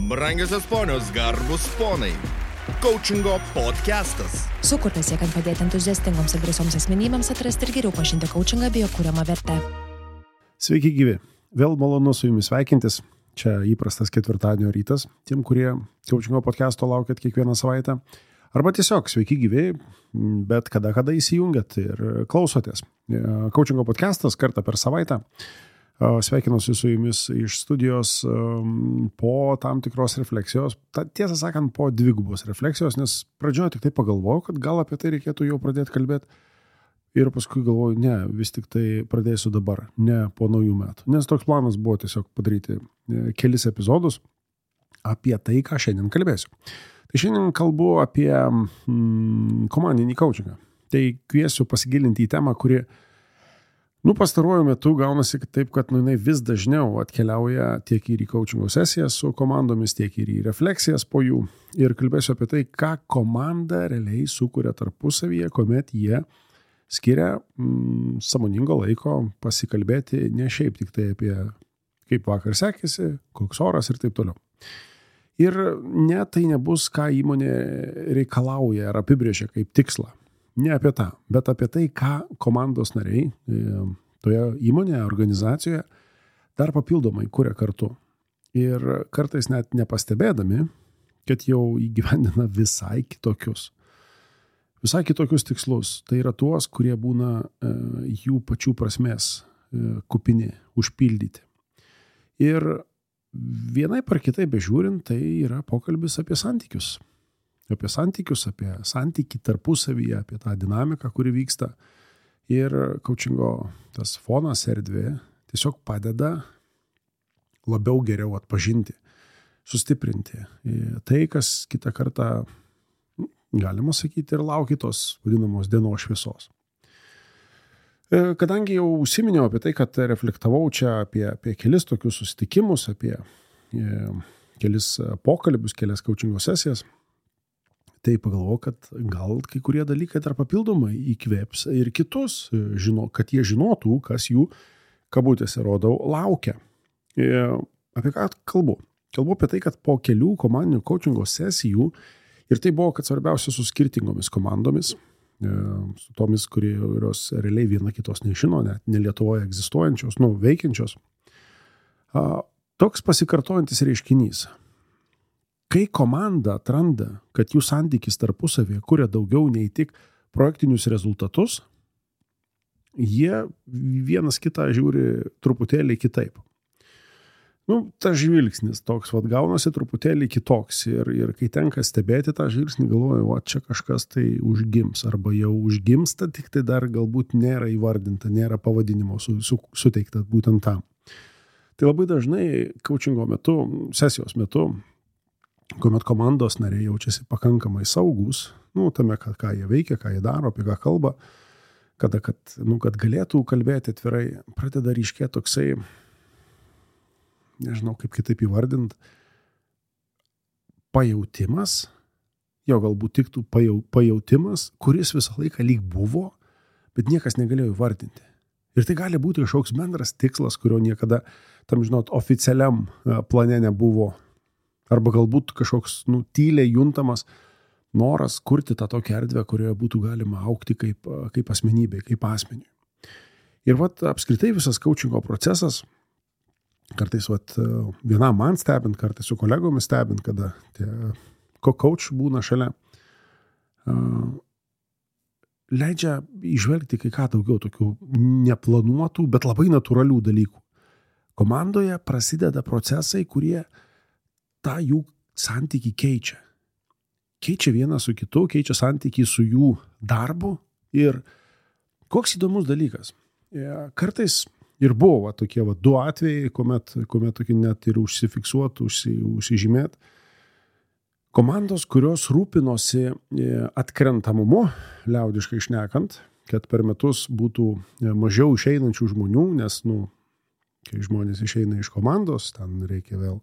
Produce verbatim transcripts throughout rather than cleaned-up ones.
Brangiosios ponios, garbus ponai. Coachingo podcastas. Sukurtas siekiant padėti entuziastingoms ir drąsioms asmenybėms atrasti ir geriau pažinti coachingą bei jo kuriamą vertę. Sveiki gyvi. Vėl malonu su jumis sveikintis. Čia įprastas ketvirtadienio rytas. Tiem, kurie coachingo podcasto laukiat kiekvieną savaitę. Arba tiesiog sveiki gyvi, bet kada kada įsijungiat ir klausotės. Coachingo podcastas kartą per savaitę. Sveikinuosi su jumis iš studijos po tam tikros refleksijos. Ta, tiesą sakant, po dvigubos refleksijos, nes pradžioje tik tai pagalvojau, kad gal apie tai reikėtų jau pradėti kalbėti. Ir paskui galvoju, ne, vis tik tai pradėsiu dabar, ne po naujų metų. Nes toks planas buvo tiesiog padaryti kelis epizodus apie tai, ką šiandien kalbėsiu. Tai šiandien kalbu apie mm, komandinį coachingą. Tai kviesiu pasigilinti į temą, kuri Nu, pastaruoju metu gaunasi taip, kad nu, jinai vis dažniau atkeliauja tiek ir į coachingo sesijas su komandomis, tiek ir į refleksijas po jų. Ir kalbėsiu apie tai, ką komanda realiai sukuria tarpusavyje, kuomet jie skiria mm, sąmoningo laiko pasikalbėti ne šiaip tik tai apie kaip vakar sekėsi, koks oras ir taip toliau. Ir ne tai nebus, ką įmonė reikalauja ar apibrėžia kaip tikslą. Ne apie tą, bet apie tai, ką komandos nariai toje įmonėje, organizacijoje dar papildomai kuria kartu. Ir kartais net nepastebėdami, kad jau įgyvendina visai kitokius. Visai kitokius tikslus. Tai yra tuos, kurie būna e, jų pačių prasmės e, kupini, užpildyti. Ir vienai par kitai bežiūrint, tai yra pokalbis apie santykius. Apie santykius, apie santykį tarpusavyje, apie tą dinamiką, kuri vyksta. Ir coachingo tas fonas erdvė tiesiog padeda labiau geriau atpažinti, sustiprinti tai, kas kitą kartą, galima sakyti, ir laukia tos vadinamos dienos šviesos. Kadangi jau užsiminiau apie tai, kad reflektavau čia apie, apie kelis tokius susitikimus, apie kelis pokalbius, kelias coachingo sesijas, tai pagalvoju, kad gal kai kurie dalykai dar papildomai įkvėps ir kitus, žino, kad jie žinotų, kas jų, kabutėse rodau, laukia. E, apie ką kalbu? Kalbu apie tai, kad po kelių komandinių coachingo sesijų, ir tai buvo, kad svarbiausia su skirtingomis komandomis, e, su tomis, kurios realiai viena kitos nežino, net ne Lietuvoje egzistuojančios, nu, veikiančios, a, toks pasikartojantis reiškinys. Kai komanda atranda, kad jų santykis tarpusavėje kuria daugiau nei tik projektinius rezultatus, jie vienas kitą žiūri truputėlį kitaip. Nu, tas žvilgsnis toks, vat, gaunasi truputėlį kitoks ir, ir kai tenka stebėti tą žvilgsnį, galvoju, va, čia kažkas tai užgims, arba jau užgimsta, tik tai dar galbūt nėra įvardinta, nėra pavadinimo su, su, suteikta būtent tam. Tai labai dažnai coachingo metu, sesijos metu, kuomet komandos nariai jaučiasi pakankamai saugus, nu, tame, ką, ką jie veikia, ką jie daro, apie ką kalba, kada, kad, nu, kad galėtų kalbėti atvirai, pradeda ryškėti toksai, nežinau, kaip kitaip įvardint, pajautimas, jo galbūt tiktų pajau, pajautimas, kuris visą laiką lyg buvo, bet niekas negalėjo įvardinti. Ir tai gali būti kažkoks bendras tikslas, kurio niekada, tam žinot, oficialiam plane nebuvo. Arba galbūt kažkoks nu, tyliai juntamas noras kurti tą tokią erdvę, kurioje būtų galima augti kaip, kaip asmenybė, kaip asmeniui. Ir vat apskritai visas coachingo procesas, kartais vat, vienam man stebint, kartais su kolegomis stebint, kada tie coach būna šalia, leidžia įžvelgti kai ką daugiau tokių neplanuotų, bet labai natūralių dalykų. Komandoje prasideda procesai, kurie tą jų santykį keičia. Keičia vieną su kitu, keičia santykį su jų darbu. Ir koks įdomus dalykas. Kartais ir buvo va, tokie va, du atvejai, kuomet, kuomet tokie net ir užsifiksuotų, užsi, užsižymėt. Komandos, kurios rūpinosi atkrentamumu, liaudiškai šnekant, kad per metus būtų mažiau išeinančių žmonių, nes, nu, kai žmonės išeina iš komandos, ten reikia vėl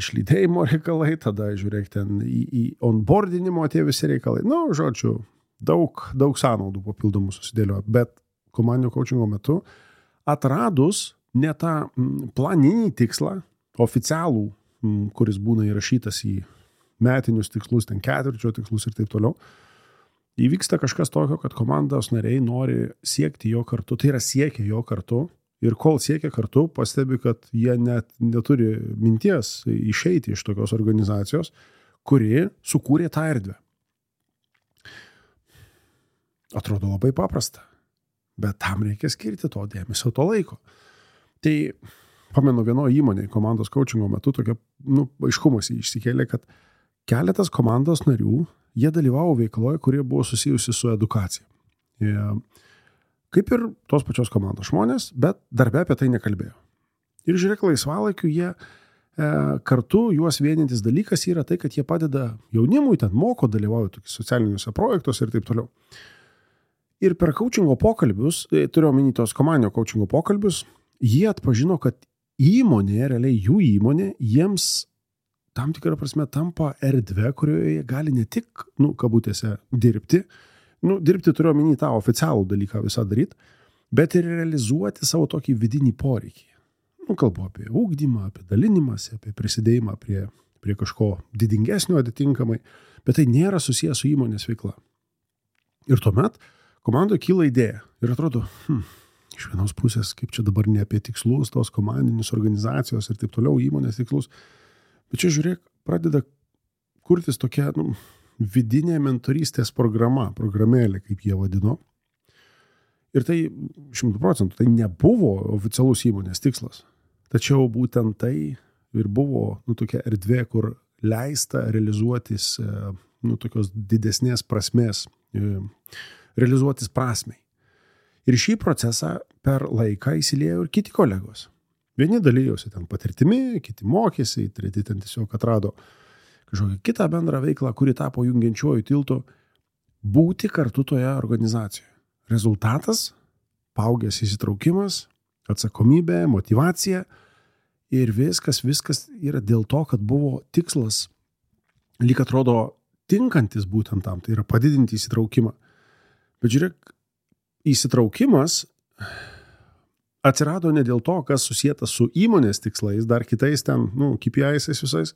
išlydėjimo reikalai, tada žiūrėk ten į, į onboardinimo tie visi reikalai. Nu, žodžiu, daug, daug sąnaudų papildomų susidėlio, bet komandinio coachingo metu atradus ne tą planinį tikslą, oficialų kuris būna įrašytas į metinius tikslus, ten ketvirčio tikslus ir taip toliau, įvyksta kažkas tokio, kad komandos nariai nori siekti jo kartu, tai yra siekia jo kartu ir kol siekia kartu, pastebi, kad jie net neturi minties išeiti iš tokios organizacijos, kuri sukūrė tą erdvę. Atrodo labai paprasta, bet tam reikia skirti to dėmesio, to laiko. Tai pamenu vienoje įmonėje komandos coachingo metu tokia, nu, aiškumas išsikėlė, kad keletas komandos narių, jie dalyvavo veikloje, kurie buvo susijusi su edukacija. Jie, kaip ir tos pačios komandos žmonės, bet darbe apie tai nekalbėjo. Ir žiūrėk, laisvalaikiu jie e, kartu juos vienintis dalykas yra tai, kad jie padeda jaunimui, ten moko, dalyvauja tokiuose socialiniuose projektuose ir taip toliau. Ir per coachingo pokalbius, turiu omeny tos komandinio coachingo pokalbius, jie atpažino, kad įmonė, realiai jų įmonė, jiems tam tikrą prasme tampa erdvė, kurioje jie gali ne tik, nu, kabutėse, dirbti, nu, dirbti turiu omeny tą oficialų dalyką visą daryti, bet ir realizuoti savo tokį vidinį poreikį. Nu, kalbu apie ugdymą, apie dalinimąsi, apie prisidėjimą prie, prie kažko didingesnio atitinkamai, bet tai nėra susijęs su įmonės veikla. Ir tuomet komandoje kyla idėja ir atrodo, hm, iš vienos pusės, kaip čia dabar ne apie tikslus, tos komandinius organizacijos ir taip toliau įmonės tikslus, bet čia žiūrėk, pradeda kurtis tokia, nu, vidinė mentorystės programa, programėlė, kaip jie vadino. Ir tai šimtų procentų, tai nebuvo oficialus įmonės tikslas. Tačiau būtent tai ir buvo, nu, tokia erdvė, kur leista realizuotis, nu, tokios didesnės prasmės, realizuotis prasmei. Ir šį procesą per laiką įsiliejo ir kiti kolegos. Vieni dalyjosi ten patirtimi, kiti mokėsi, treti ten tiesiog atrado kažkokią kitą bendrą veiklą, kuri tapo jungiančiuoju tiltu būti kartu toje organizacijoje. Rezultatas – paaugęs įsitraukimas, atsakomybė, motyvacija ir viskas, viskas yra dėl to, kad buvo tikslas, lyg atrodo tinkantis būtent tam, tai yra padidinti įsitraukimą. Bet žiūrėk, įsitraukimas atsirado ne dėl to, kas susijęta su įmonės tikslais, dar kitais ten, nu, K P Is visais,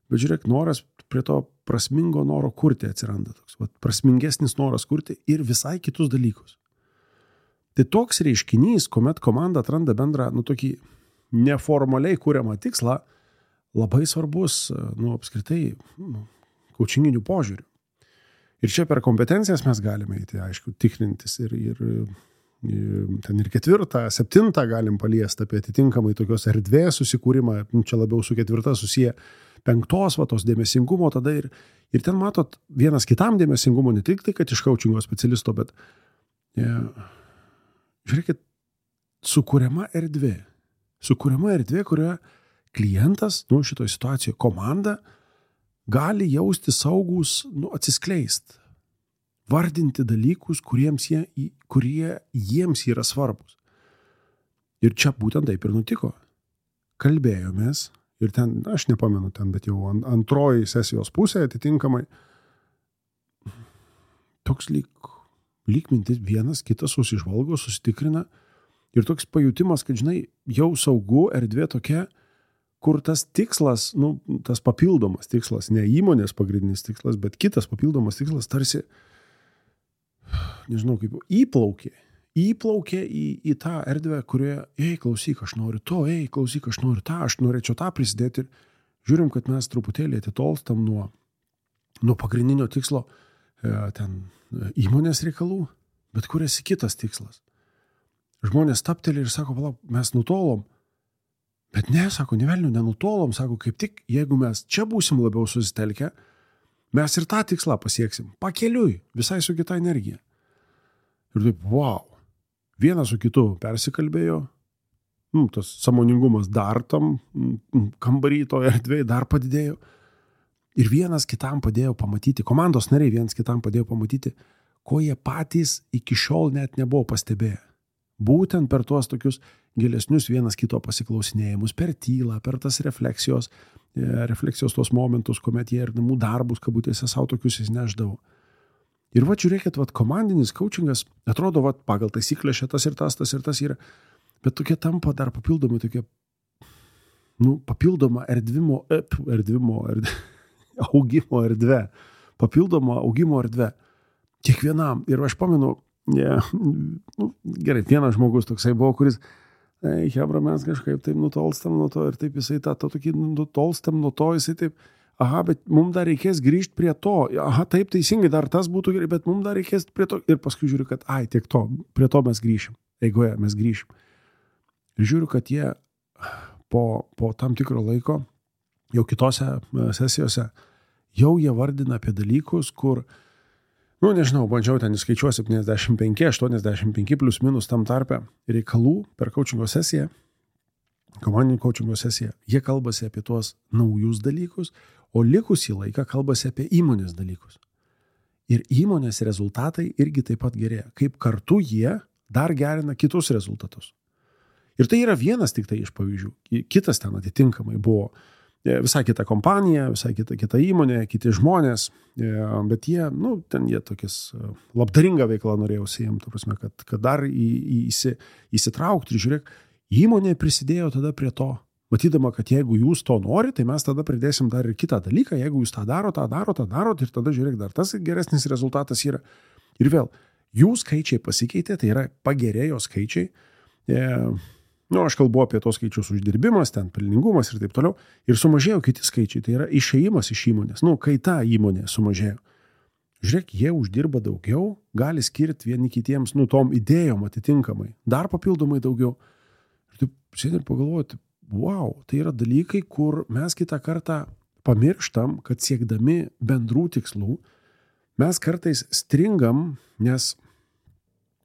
bet žiūrėk, noras prie to prasmingo noro kurti atsiranda toks, vat, prasmingesnis noras kurti ir visai kitus dalykus. Tai toks reiškinys, kuomet komanda atranda bendrą, nu, tokį neformaliai kuriamą tikslą, labai svarbus, nu, apskritai, nu, coachinginių požiūrių. Ir čia per kompetencijas mes galime eiti, aišku, tikrintis ir, ir, ir ten ir ketvirtą, septintą galim paliesti apie atitinkamai tokios erdvės susikūrimą, čia labiau su ketvirta susiję penktos, va, tos dėmesingumo tada ir, ir ten matot vienas kitam dėmesingumo, ne tik tai, kad iš coachingo specialisto, bet ja, žiūrėkit, sukuriama erdvė, sukuriama erdvė, kurioje klientas, nu, šitoje situacijoje komanda, gali jausti saugus, nu, atsiskleist, vardinti dalykus, kuriems jie, kurie jiems yra svarbus. Ir čia būtent taip ir nutiko. Kalbėjomės ir ten, aš nepamenu ten, bet jau antroji sesijos pusė atitinkamai, toks lyg, lyg mintis vienas, kitas susižvalgo, susitikrina ir toks pajutimas, kad, žinai, jau saugu erdvė tokia, kur tas tikslas, nu, tas papildomas tikslas, ne įmonės pagrindinis tikslas, bet kitas papildomas tikslas tarsi, nežinau kaip, įplaukė, įplaukė į, į tą erdvę, kurioje, ei, klausyk, aš noriu to, ei, klausyk, aš noriu tą, aš norėčiau tą prisidėti ir žiūrim, kad mes truputėlį atitolstam nuo, nuo pagrindinio tikslo e, ten įmonės reikalų, bet kuriasi kitas tikslas. Žmonės tapteli ir sako, palauk, mes nutolom. Bet ne, sako, nevelnių, nenutolom, sako, kaip tik, jeigu mes čia būsim labiau susitelkę, mes ir tą tikslą pasieksim, pakeliui, visai su kita energija. Ir taip, wow, vienas su kitu persikalbėjo, nu, tas sąmoningumas dar tam kambarį toje erdvėje dar padidėjo. Ir vienas kitam padėjo pamatyti, komandos nariai vienas kitam padėjo pamatyti, ko jie patys iki šiol net nebuvo pastebėję. Būtent per tuos tokius gilesnius vienas kito pasiklausinėjimus, per tylą, per tas refleksijos, refleksijos tuos momentus, kuomet jie ir namų darbus, kabutėse, savo tokius įsineždavo. Ir va, žiūrėkit, va, komandinis coachingas, atrodo, va, pagal taisyklę šitas ir tas, tas ir tas yra, bet tokie tampa dar papildomai tokie, nu, papildoma erdvimo, ep, erdvimo, erdvė, augimo erdvė, papildoma augimo erdvė kiekvienam. Ir aš pamenu, ja, nu, gerai, vienas žmogus toksai buvo, kuris, ei, hebra, mes kažkaip taip nutolstam nuo to ir taip jisai tą, tą tokį nutolstam nuo to, jisai taip, aha, bet mums dar reikės grįžti prie to, aha, taip teisingai, dar tas būtų gerai, bet mums dar reikės prie to. Ir paskui žiūriu, kad, ai, tiek to, prie to mes grįšim, eigoje mes grįšim. Ir žiūriu, kad jie po, po tam tikro laiko, jau kitose sesijose, jau jie vardina apie dalykus, kur, nu, nežinau, bandžiau ten įskaičiuo septyniasdešimt penki, aštuoniasdešimt penki plus minus tam tarpe reikalų per coachingo sesiją, komandinį coachingo sesiją. Jie kalbasi apie tuos naujus dalykus, o likusį laiką kalbasi apie įmonės dalykus. Ir įmonės rezultatai irgi taip pat gerėja, kaip kartu jie dar gerina kitus rezultatus. Ir tai yra vienas tik tai iš pavyzdžių. Kitas ten atitinkamai buvo visai kita kompanija, visai kita, kita įmonė, kiti žmonės, bet jie, nu, ten jie tokias labdaringą veiklą norėjo užsiimti, prasme, kad, kad dar į, į, įsi, įsitraukti ir žiūrėk, įmonė prisidėjo tada prie to, matydama, kad jeigu jūs to nori, tai mes tada pridėsim dar ir kitą dalyką, jeigu jūs tą daro, tą daro, tą darot ir tada žiūrėk, dar tas geresnis rezultatas yra. Ir vėl, jų skaičiai pasikeitė, tai yra pagerėjo skaičiai. E, nu, aš kalbu apie tos skaičius uždirbimas, ten pelningumas ir taip toliau. Ir sumažėjo kiti skaičiai, tai yra išėjimas iš įmonės. Nu, kai ta įmonė sumažėjo. Žiūrėk, jie uždirba daugiau, gali skirti vieni kitiems, nu, tom idėjom atitinkamai. Dar papildomai daugiau. Ir taip sėdė ir pagalvoti, wow, tai yra dalykai, kur mes kitą kartą pamirštam, kad siekdami bendrų tikslų, mes kartais stringam, nes,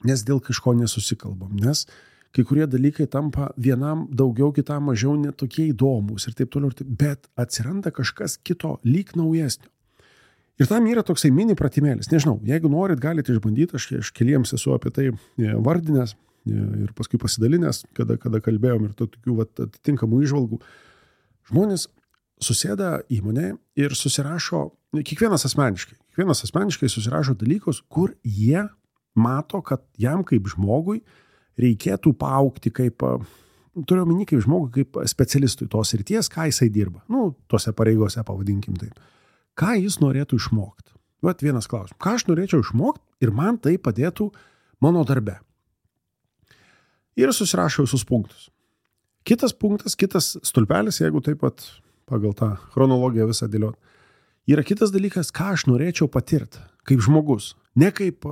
nes dėl kažko nesusikalbam, nes kai kurie dalykai tampa vienam daugiau, kitam mažiau netokie įdomus ir taip toliau, bet atsiranda kažkas kito, lyg naujesnio. Ir tam yra toksai mini pratimėlis. Nežinau, jeigu norit, galite išbandyti, aš, aš keliems esu apie tai vardinęs, ir paskui pasidalinęs, kada, kada kalbėjom ir to tokių vat, atitinkamų įžvalgų. Žmonės susėda įmonėje ir susirašo, kiekvienas asmeniškai, kiekvienas asmeniškai susirašo dalykus, kur jie mato, kad jam kaip žmogui reikėtų paaugti kaip, turiu omeny kaip žmogui, kaip specialistui tos srities, ką jisai dirba. Nu, tose pareigose pavadinkim taip. Ką jis norėtų išmokti? Vat vienas klausimas. Ką aš norėčiau išmokti ir man tai padėtų mano darbe? Ir susirašau visus punktus. Kitas punktas, kitas stulpelis, jeigu taip pat pagal tą chronologiją visą dėliot, yra kitas dalykas, ką aš norėčiau patirti kaip žmogus. Ne kaip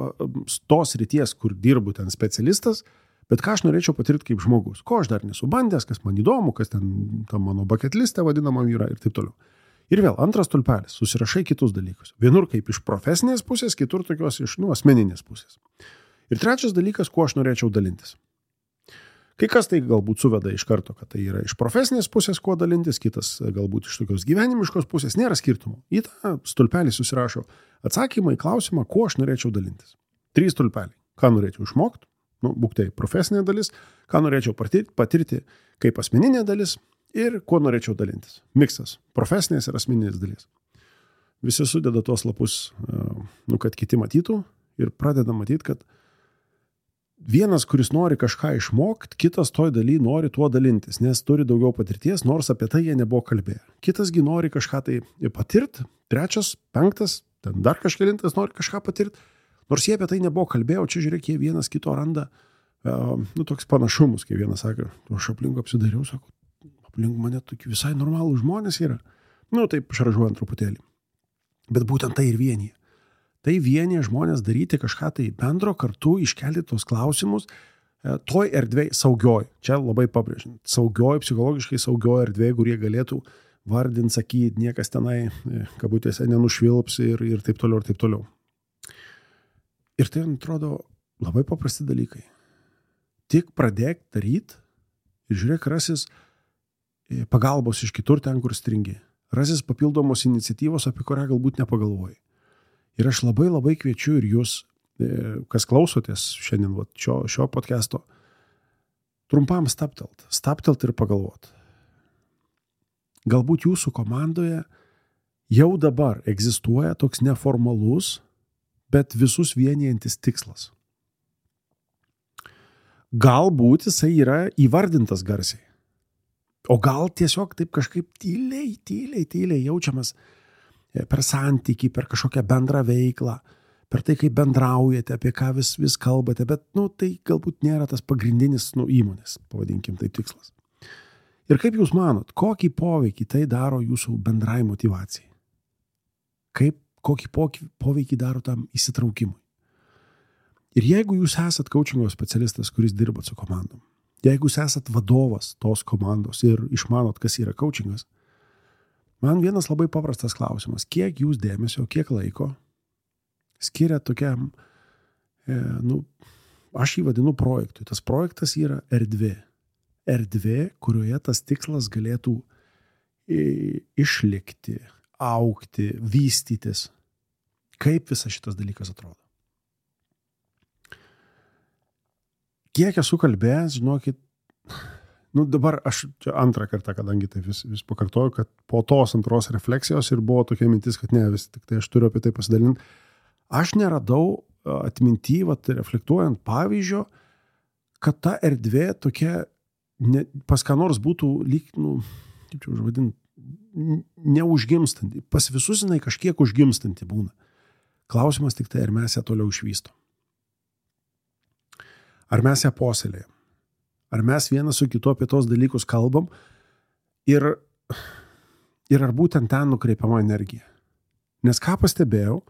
tos ryties, kur dirbu ten specialistas, bet ką aš norėčiau patirti kaip žmogus. Ko aš dar nesu bandęs, kas man įdomu, kas ten tam mano bucket liste vadinama yra ir taip toliau. Ir vėl antras stulpelis, susirašai kitus dalykus. Vienur kaip iš profesinės pusės, kitur tokios iš nu, asmeninės pusės. Ir trečias dalykas, kuo aš norėčiau dalintis. Kai kas tai galbūt suveda iš karto, kad tai yra iš profesinės pusės, kuo dalintis, kitas galbūt iš tokios gyvenimiškos pusės, nėra skirtumų. Į tą stulpelį susirašo atsakymą į klausimą, kuo aš norėčiau dalintis. Trys stulpeliai. Ką norėčiau išmokti, nu, būk tai profesinė dalis, ką norėčiau patirti, patirti kaip asmeninė dalis ir kuo norėčiau dalintis. Miksas profesinės ir asmeninės dalis. Visi sudeda tuos lapus, nu, kad kiti matytų ir pradeda matyti, kad vienas, kuris nori kažką išmokti, kitas toj daly nori tuo dalintis, nes turi daugiau patirties, nors apie tai jie nebuvo kalbėję. Kitasgi nori kažką tai patirti, trečias, penktas, ten dar kažkelintas nori kažką patirti, nors jie apie tai nebuvo kalbėję, o čia žiūrėk, jie vienas kito randa, uh, nu, toks panašumus, kai vienas sakė, aš aplink apsidariau, sako, aplink mane tokie visai normalų žmonės yra. Nu, taip šaržuojant truputėlį. Bet būtent tai ir vienyje. Tai vienyje žmonės daryti kažką tai bendro, kartu iškelti tos klausimus toj erdvėj saugioj. Čia labai pabrėžiant. Saugioj, psichologiškai saugioj erdvėj, kur jie galėtų vardinti, sakyti, niekas tenai, kabutėse, nenušvilps ir, ir taip toliau, ir taip toliau. Ir tai, atrodo, labai paprasti dalykai. Tik pradėk daryti ir žiūrėk, rasis pagalbos iš kitur ten, kur stringi. Rasis papildomos iniciatyvos, apie kurią galbūt nepagalvojai. Ir aš labai labai kviečiu ir jūs, kas klausotės šiandien vat, šio, šio podcast'o, trumpam staptelt, staptelt ir pagalvot. Galbūt jūsų komandoje jau dabar egzistuoja toks neformalus, bet visus vienijantis tikslas. Galbūt jisai yra įvardintas garsiai. O gal tiesiog taip kažkaip tyliai, tyliai, tyliai jaučiamas per santykį, per kažkokią bendrą veiklą, per tai, kaip bendraujate, apie ką vis, vis kalbate, bet, nu, tai galbūt nėra tas pagrindinis, nu, įmonės, pavadinkim taip, tikslas. Ir kaip jūs manot, kokį poveikį tai daro jūsų bendrai motyvacijai? Kaip, kokį poveikį daro tam įsitraukimui? Ir jeigu jūs esat coachingo specialistas, kuris dirbat su komandom, jeigu jūs esat vadovas tos komandos ir išmanot, kas yra coachingas, man vienas labai paprastas klausimas, kiek jūs dėmesio, kiek laiko skiria tokiam, e, nu, aš jį vadinu projektui. Tas projektas yra erdvė. Erdvė, kurioje tas tikslas galėtų išlikti, augti, vystytis. Kaip visas šitas dalykas atrodo? Kiek esu kalbėjęs, žinokit, nu dabar aš čia antrą kartą, kadangi tai vis, vis pakartoju, kad po tos antros refleksijos ir buvo tokia mintis, kad ne, vis tik tai aš turiu apie tai pasidalinti. Aš neradau atminty, vat, reflektuojant pavyzdžio, kad ta erdvė tokia ne, pas ką nors būtų lyg, nu, kaip čia užvadinti, neužgimstanti. Pas visus jinai kažkiek užgimstanti būna. Klausimas tik tai, ar mes ją toliau išvystom. Ar mes ją puoselėjam. Ar mes vienas su kitu apie tos dalykus kalbam ir, ir ar būtent ten nukreipiama energija. Nes ką pastebėjau,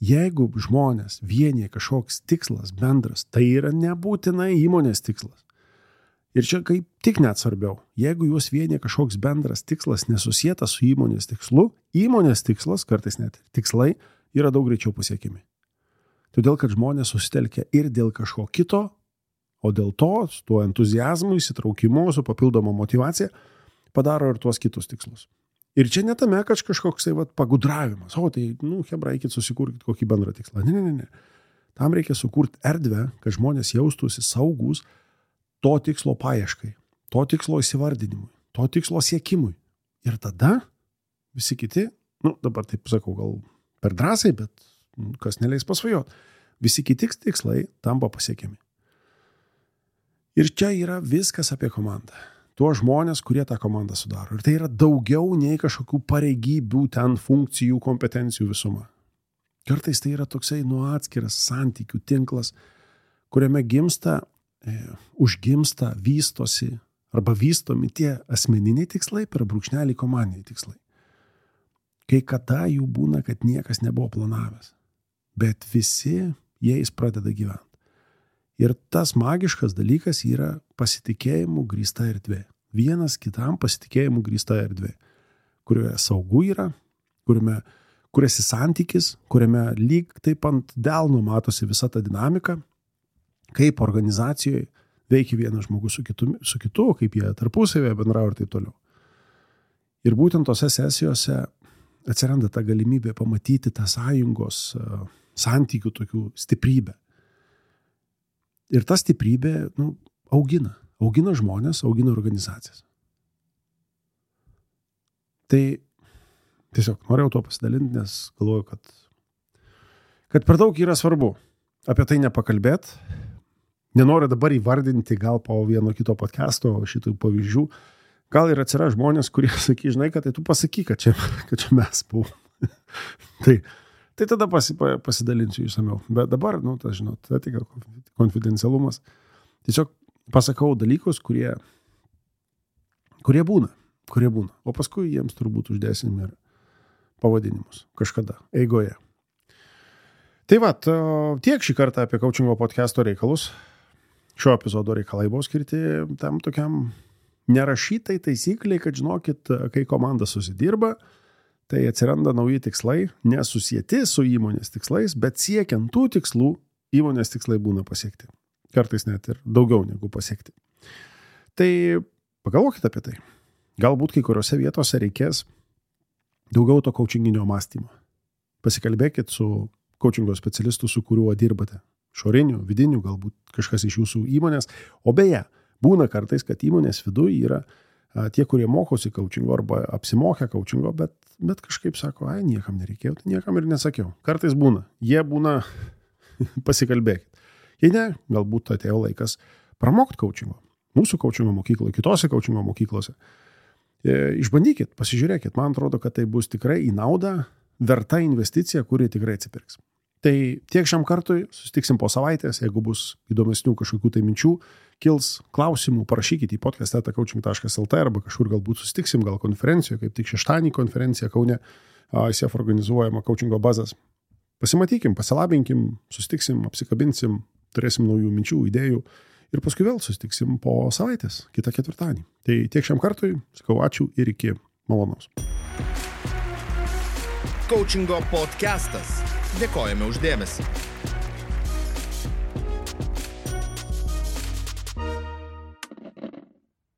jeigu žmonės vienyje kažkoks tikslas bendras, tai yra nebūtinai įmonės tikslas. Ir čia kaip tik net svarbiau, jeigu juos vienyje kažkoks bendras tikslas nesusietas su įmonės tikslu, įmonės tikslas, kartais net tikslai, yra daug greičiau pasiekimi. Todėl, kad žmonės susitelkia ir dėl kažko kito, o dėl to, su tuo entuziazmu, įsitraukimu, su papildoma motyvacija, padaro ir tuos kitus tikslus. Ir čia netame, kad kažkoks tai, vat, pagudravimas. O, tai, nu, hebra, eikit susikurkit kokį bendrą tikslą. Ne, ne, ne, ne. Tam reikia sukurti erdvę, kad žmonės jaustųsi saugus to tikslo paieškai, to tikslo įsivardinimui, to tikslo siekimui. Ir tada visi kiti, nu, dabar taip sakau, gal per drąsiai, bet kas neleis pasvajot, visi kiti tikslai tampa pasiekiami. Ir čia yra viskas apie komandą. Tuo žmonės, kurie tą komandą sudaro. Ir tai yra daugiau nei kažkokių pareigybių, ten funkcijų, kompetencijų visuma. Kartais tai yra toksai nu atskiras santykių tinklas, kuriame gimsta, e, užgimsta, vystosi arba vystomi tie asmeniniai tikslai per brūkšnelį komandiniai tikslai. Kai kada jų būna, kad niekas nebuvo planavęs, bet visi jais pradeda gyventi. Ir tas magiškas dalykas yra pasitikėjimų grįsta erdvė. Vienas kitam pasitikėjimų grįsta erdvė, kurioje saugu yra, kuriame kuriasi santykis, kuriame lyg taip ant delno matosi visa ta dinamika, kaip organizacijoje veikia vienas žmogus su kitu, su kitu kaip jie tarpusavėje bendrauja ir taip toliau. Ir būtent tose sesijose atsiranda ta galimybė pamatyti tą sąjungos santykių tokių stiprybę. Ir ta stiprybė, nu, augina. Augina žmonės, augina organizacijas. Tai tiesiog norėjau to pasidalinti, nes galvoju, kad, kad per daug yra svarbu apie tai nepakalbėt. Nenoriu dabar įvardinti gal po vieno kito podcasto šitų pavyzdžių. Gal ir atsiras žmonės, kurie sakys, žinai, kad tai tu pasakyk, kad čia, kad čia mes buvom. tai Tai tada pasi, pasidalinsiu išsamiau. Bet dabar, nu, tas, žinot, tai tik konfidencialumas. Tiesiog pasakau dalykus, kurie, kurie būna, kurie būna. O paskui jiems turbūt uždėsim ir pavadinimus kažkada, eigoje. Tai va, tiek šį kartą apie coachingo podcasto reikalus. Šio epizodo reikalai buvo skirti tam tokiam nerašytai taisykliai, kad žinokit, kai komanda susidirba, tai atsiranda nauji tikslai, nesusieti su įmonės tikslais, bet siekiant tų tikslų, įmonės tikslai būna pasiekti. Kartais net ir daugiau negu pasiekti. Tai pagalvokit apie tai. Galbūt kai kuriuose vietose reikės daugiau to coachinginio mąstymo. Pasikalbėkit su coachingo specialistu, su kuriuo dirbate. Šorinių, vidinių, galbūt kažkas iš jūsų įmonės. O beje, būna kartais, kad įmonės viduje yra tie, kurie mokosi coachingo arba apsimokę coachingo, bet, bet kažkaip sako, ai, niekam nereikėjo, tai niekam ir nesakiau. Kartais būna. Jie būna, pasikalbėkit. Jei ne, galbūt atėjo laikas pramokti coachingo. Mūsų coachingo mokykloje, kitose coachingo mokyklose. Išbandykit, pasižiūrėkit, man atrodo, kad tai bus tikrai į naudą, verta investicija, kuri tikrai atsipirks. Tai tiek šiam kartui, susitiksim po savaitės, jeigu bus įdomesnių kažkokių tai minčių, kils klausimų, parašykit į podcast eta coaching taškas el t arba kažkur galbūt susitiksim, gal konferencijoje, kaip tik šeštadienį konferencija Kaune, I C F organizuojama coachingo bazas. Pasimatykim, pasilabinkim, susitiksim, apsikabinsim, turėsim naujų minčių, idėjų ir paskui vėl susitiksim po savaitės, kitą ketvirtadienį. Tai tiek šiam kartui, sakau ačiū ir iki malonaus. Coachingo podcastas. Dėkojame už dėmesį.